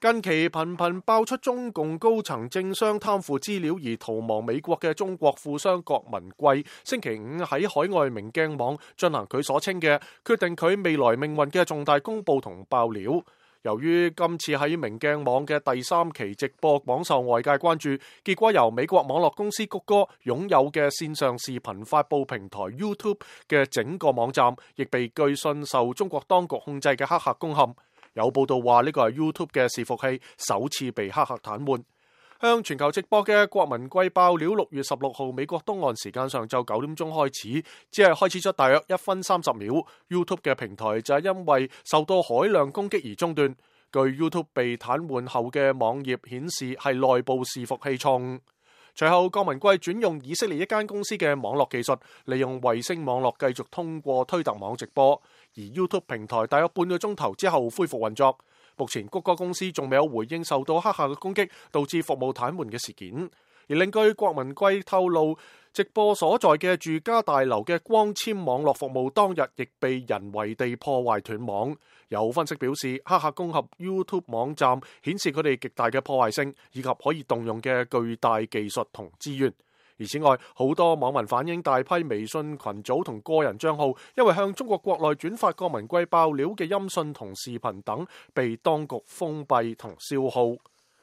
近期頻頻爆出中共高層政商貪腐資料而逃亡美國嘅中國富商郭文貴，星期五喺海外明鏡網進行佢所稱嘅決定佢未來命運嘅重大公佈同爆料。由於今次喺明鏡網嘅第3期直播廣受外界關注，結果由美國網絡公司谷歌擁有嘅線上視頻發佈平台 YouTube 嘅整個網站，亦被據信受中國當局控制嘅黑客攻陷。有報道話呢個係 YouTube 嘅伺服器首次被黑客癱瘓。向全球直播嘅郭文貴爆料，6月16號美國東岸時間上晝9點鐘開始，只係開始咗大約1分30秒。YouTube 嘅平台就係因為受到海量攻擊而中斷。據 YouTube 被癱瘓後嘅網頁顯示係內部伺服器錯誤。隨後郭文貴轉用以色列一間公司嘅網絡技術，利用衛星網絡繼續通過推特網直播，而 YouTube 平台大約半個鐘頭之後恢復運作。目前谷歌公司仲未有回應受到黑客嘅攻擊導致服務癱瘓嘅事件。而另據郭文貴透露，直播所在嘅住家大樓嘅光纖網絡服務當日亦被人為地破壞斷網。有分析表示，黑客攻陷 YouTube 網站顯示佢哋極大嘅破壞性以及可以動用嘅巨大技術同資源。而此外，好多網民反映大批微信群組同個人帳號因為向中國國內轉發郭文貴爆料嘅音訊同視頻等被當局封閉同消耗。